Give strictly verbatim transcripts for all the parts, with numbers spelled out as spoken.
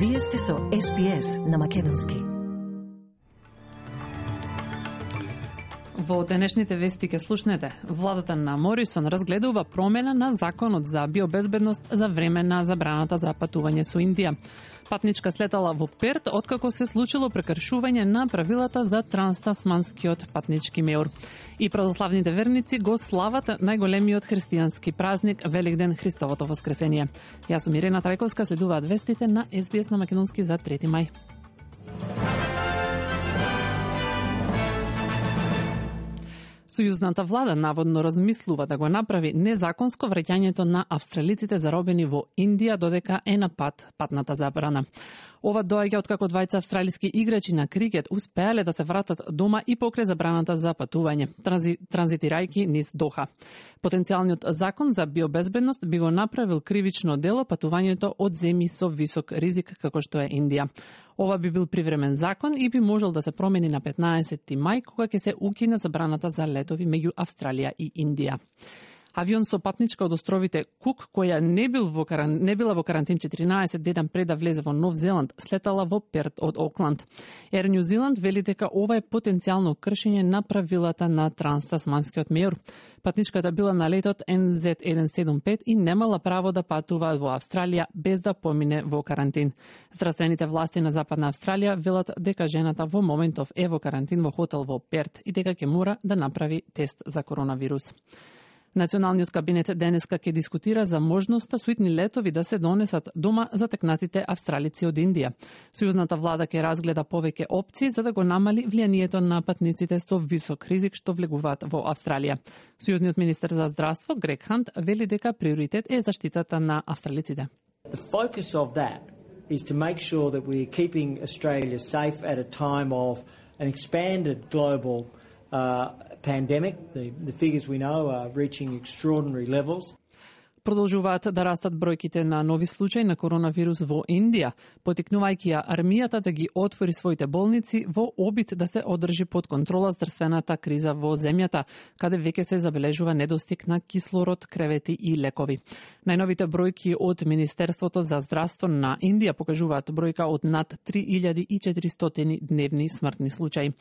Вие сте со Ес Би Ес на Македонски. Во денешните вести ке слушнете. Владата на Морисон разгледува промена на законот за биобезбедност за време на забраната за патување со Индија. Патничка слетала во Перт откако се случило прекршување на правилата за транстасманскиот патнички меур. И православните верници го слават најголемиот христијански празник Великден, Христовото воскресение. Јас сум Ирена Трајковска, следуваат вестите на Ес Би Ес на Македонски за трети мај. Сојузната влада наводно размислува да го направи незаконско враќањето на австралиците заробени во Индија додека е на пат патната забрана. Ова доаѓа откако двајца австралиски играчи на крикет успеале да се вратат дома и покрај забраната за патување, транзи, транзитирајќи низ Доха. Потенцијалниот закон за биобезбедност би го направил кривично дело патувањето од земји со висок ризик како што е Индија. Ова би бил привремен закон и би можел да се промени на петнаесетти мај, кога ќе се укине забраната за летови меѓу Австралија и Индија. Авион со патничка од островите Кук, која не, бил во каран... не била во карантин четиринаесет дена пред да влезе во Нов Зеланд, слетала во Перт од Окланд. Ер Нью Зеланд вели дека ова е потенцијално кршење на правилата на транстасманскиот меур. Патничката била на летот Ен Зет еден седум пет и немала право да патува во Австралија без да помине во карантин. Здравствените власти на Западна Австралија велат дека жената во моментов е во карантин во хотел во Перт и дека ќе мора да направи тест за коронавирус. Националниот кабинет денеска ќе дискутира за можноста суитни летови да се донесат дома за текнатите австралици од Индија. Сојузната влада ќе разгледа повеќе опции за да го намали влијанието на патниците со висок ризик што влегуваат во Австралија. Сојузниот министер за здравство Грег Хант вели дека приоритет е заштитата на австралиците. The focus of that is to make sure that we are keeping Australia safe at a time of an expanded global uh, pandemic. The, the figures we know are reaching extraordinary levels. Продолжуваат да растат бројките на нови случаи на коронавирус во Индија, потикнувајќи ја армијата да ги отвори своите болници во обид да се одржи под контрола здравствената криза во земјата, каде веќе се забележува недостиг на кислород, кревети и лекови. Најновите бројки од Министерството за здравство на Индија покажуваат бројка од над три илјади и четиристотини дневни смртни случаи.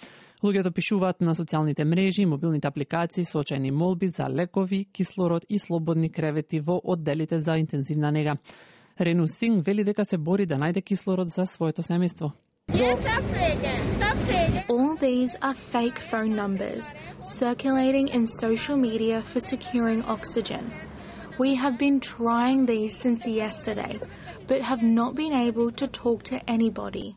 Луѓето пишуваат на социјалните мрежи и мобилните апликации со очајни молби за лекови, кислород и слободни кревети во одделите за интензивна нега. Рену Синг вели дека се бори да најде кислород за своето семејство. All these are fake phone numbers circulating in social media for securing oxygen. We have been trying these since yesterday, but have not been able to talk to anybody.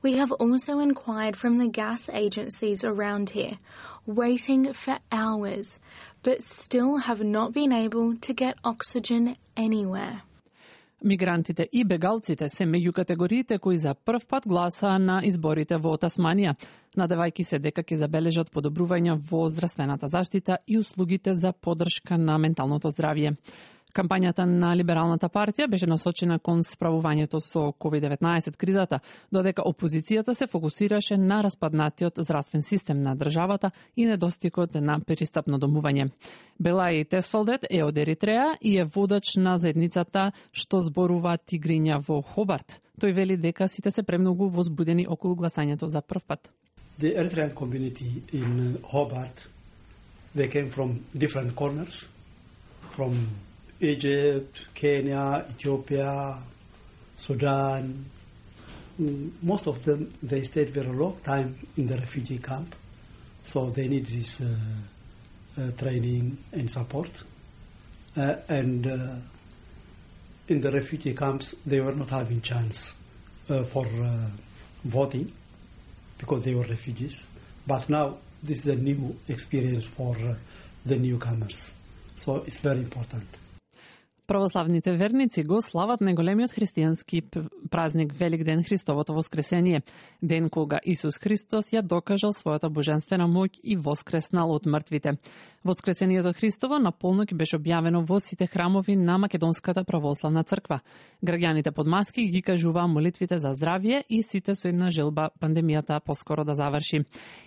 We have also inquired from the gas agencies around here, waiting for hours, but still have not been able to get oxygen anywhere. Мигрантите и бегалците се меѓу категориите кои за прв пат гласаа на изборите во Тасманија, надевајќи се дека ќе забележат подобрување во здравствената заштита и услугите за поддршка на менталното здравје. Кампањата на Либералната партија беше насочена кон справувањето со ковид деветнаесет кризата, додека опозицијата се фокусираше на распаднатиот здравствен систем на државата и недостигот на пристапно домување. Белај Тесфалдет е од Еритреа и е водач на заедницата што зборува тигриња во Хобарт. Тој вели дека сите се премногу возбудени околу гласањето за прв пат. The Eritrean community in Hobart, they came from different corners, from Egypt, Kenya, Ethiopia, Sudan. Most of them, they stayed very long time in the refugee camp, so they need this uh, uh, training and support. Uh, and uh, in the refugee camps, they were not having chance uh, for uh, voting because they were refugees. But now, this is a new experience for uh, the newcomers, so it's very important. Православните верници го слават најголемиот христијански празник Великден, Христовото воскресение, ден кога Исус Христос ја докажал својата божествена моќ и воскреснал од мртвите. Воскресението Христово на полноќ беше објавено во сите храмови на Македонската православна црква. Граѓаните под маски ги кажуваа молитвите за здравје и сите со една желба пандемијата поскоро да заврши.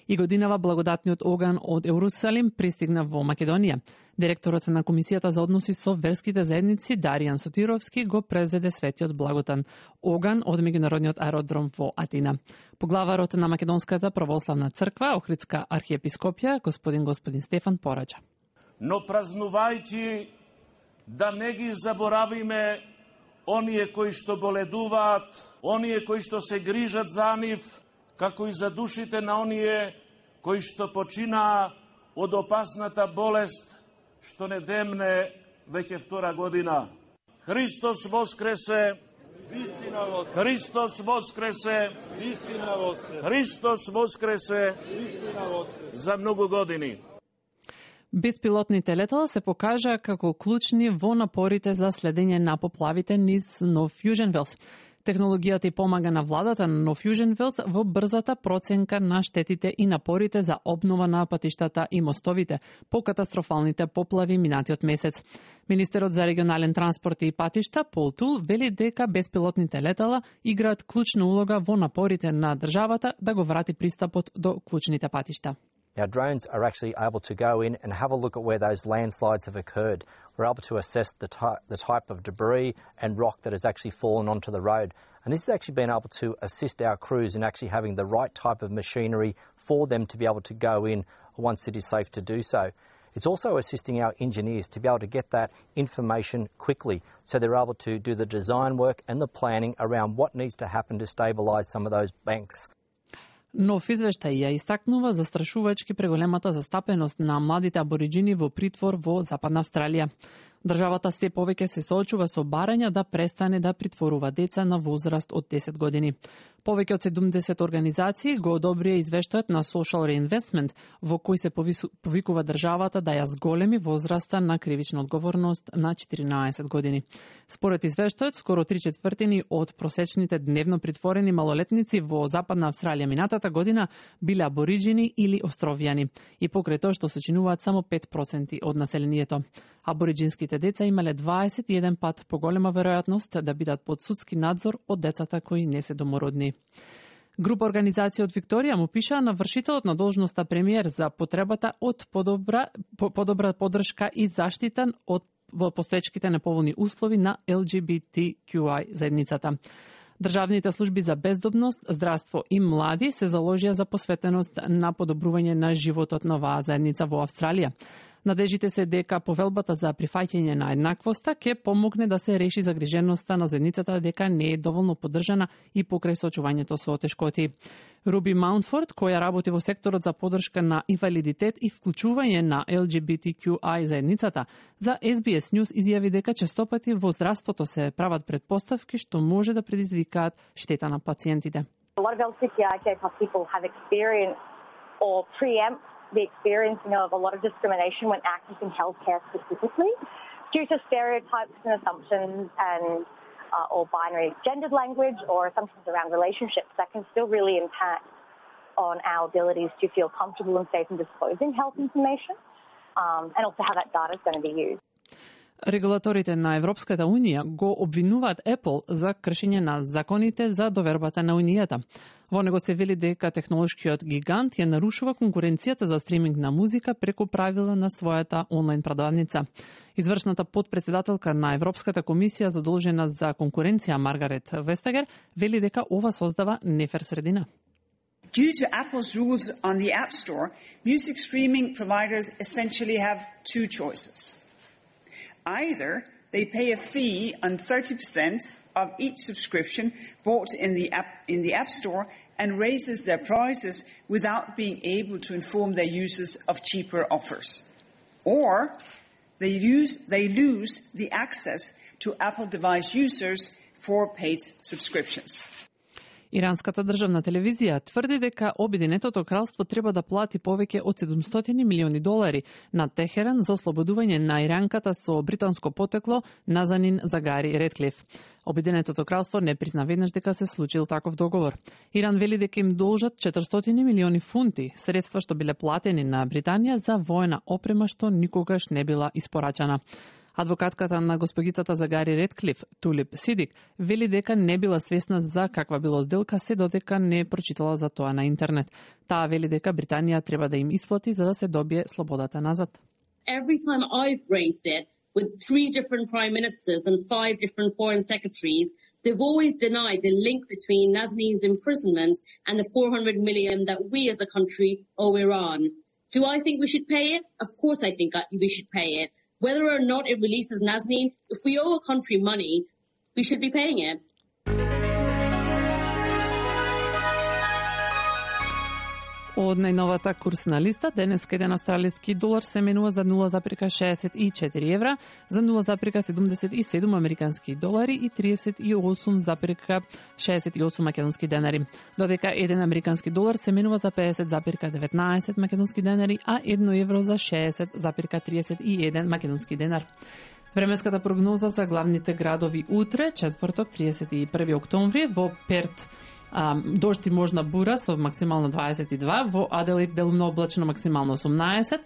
И годинава благодатниот оган од Ерусалим пристигна во Македонија. Директорот на Комисијата за односи со верските заедници Даријан Сотировски го презеде светиот благотан оган од меѓународниот аеродром во Атина. Поглаварот на Македонската православна црква, Охридска архиепископија, господин господин Стефан Пораџа. Но празнувајќи да не ги заборавиме оние кои што боледуваат, оние кои што се грижат за нив, како и за душите на оние кои што починаа од опасната болест што не демне веќе втора година. Христос воскресе! Вистина воскресе! Христос воскресе! Вистина воскресе! Христос воскресе! Вистина воскресе! За многу години. Беспилотните летала се покажа како клучни во напорите за следење на поплавите низ Нов Јужен Велс. Технологијата и помага на владата на Нов Јужен Велс во брзата проценка на штетите и напорите за обнова на патиштата и мостовите по катастрофалните поплави минатиот месец. Министерот за регионален транспорт и патишта Пол Тул вели дека беспилотните летала играат клучна улога во напорите на државата да го врати пристапот до клучните патишта. Now, drones are actually able to go in and have a look at where those landslides have occurred. We're able to assess the, ty- the type of debris and rock that has actually fallen onto the road. And this has actually been able to assist our crews in actually having the right type of machinery for them to be able to go in once it is safe to do so. It's also assisting our engineers to be able to get that information quickly so they're able to do the design work and the planning around what needs to happen to stabilise some of those banks. Нов извештај ја истакнува застрашувачки преголемата застапеност на младите абориџини во притвор во Западна Австралија. Државата се повеќе се соочува со барања да престане да притворува деца на возраст од десет години. Повеќе од седумдесет организации го одобрија извештајот на Social Reinvestment, во кој се повикува државата да ја зголеми возраста на кривична одговорност на четиринаесет години. Според извештајот, скоро три четвртини од просечните дневно притворени малолетници во Западна Австралија минатата година биле абориџини или островјани, и покрај тоа што сочинуваат само пет проценти од населението. Абориџинските деца имале дваесет и еден пат поголема веројатност да бидат под судски надзор од децата кои не се домородни. Група организација од Викторија му пишаа на вршителот на должноста премиер за потребата од подобра, подобра поддршка и заштита од во постоечките неповолни услови на Ел Џи Би Ти Кју Ај заедницата. Државните служби за бездомност, здравство и млади се заложија за посветеност на подобрување на животот на оваа заедница во Австралија. Надежите се дека повелбата за прифаќање на еднаквоста ќе помогне да се реши загриженоста на заедницата дека не е доволно поддржана и покрај соочувањето со тешкоти. Руби Маунтфорд, која работи во секторот за поддршка на инвалидитет и вклучување на Ел Џи Би Ти Кју Ај заедницата, за Ес Би Ес News изјави дека честопати во здравството се прават предпоставки што може да предизвикаат штета на пациентите. A lot of L G B T I people have experienced or preempt the experiencing of a lot of discrimination when accessing healthcare specifically due to stereotypes and assumptions and uh, or binary gendered language or assumptions around relationships that can still really impact on our abilities to feel comfortable and safe in disclosing health information um, and also how that data is going to be used. Регулаторите на Европската Унија го обвинуваат Apple за кршење на законите за довербата на Унијата. Во него се вели дека технолошкиот гигант ја нарушува конкуренцијата за стриминг на музика преку правила на својата онлайн продавница. Извршната подпредседателка на Европската комисија задолжена за конкуренција Маргарет Вестагер вели дека ова создава нефер средина. Due to Apple's rules on the App Store, music streaming providers essentially have two choices. Either they pay a fee on thirty percent of each subscription bought in the app, in the App Store and raises their prices without being able to inform their users of cheaper offers. Or they, use, they lose the access to Apple device users for paid subscriptions. Иранската државна телевизија тврди дека Обединетото кралство треба да плати повеќе од седумстотини милиони долари на Техеран за ослободување на иранката со британско потекло Назанин Загари Редклиф. Обединетото кралство не призна веднаш дека се случил таков договор. Иран вели дека им должат четиристотини милиони фунти, средства што биле платени на Британија за воена опрема што никогаш не била испорачана. Адвокатката на госпогицата Загари Редклиф, Тулип Сидик, вели дека не била свесна за каква било сделка се додека не прочитала за тоа на интернет. Таа вели дека Британија треба да им исплати за да се добие слободата назад. every time I've raised it with three different prime ministers and five different foreign secretaries, they've always denied the link between Nazanin's imprisonment and the four hundred million that we as a country owe Iran. Do I think we should pay it? Of course I think we should pay it. Whether or not it releases Nazanin, if we owe a country money, we should be paying it. Од најновата курсна листа, денес еден австралиски долар се менува за нула зарез шеесет и четири евра, за нула зарез седумдесет и седум американски долари и триесет и осум зарез шеесет и осум македонски денари. Додека еден американски долар се менува за педесет зарез деветнаесет македонски денари, а едно евро за шеесет зарез триесет и еден македонски денар. Временската прогноза за главните градови утре, четврток, триесет и први октомври, во Перт дожд и можна бура со максимално дваесет и два, во Аделаид делумно облачно максимално осумнаесет,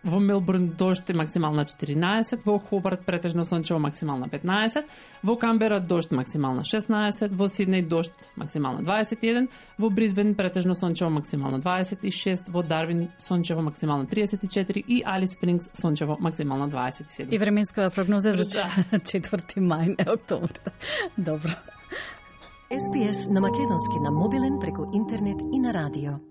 во Мелбурн дожд и максимална четиринаесет, во Хобарт претежно сончево максимална петнаесет, во Камбера дожд максимална шеснаесет, во Сиднеј дожд максимална дваесет и еден, во Брисбен претежно сончево максимална дваесет и шест, во Дарвин сончево максимална триесет и четири и Алис Спрингс сончево максимална дваесет и седум. И временска прогноза за четврти мај, не октомври. Добро. Ес Би Ес на македонски на мобилен преку интернет и на радио.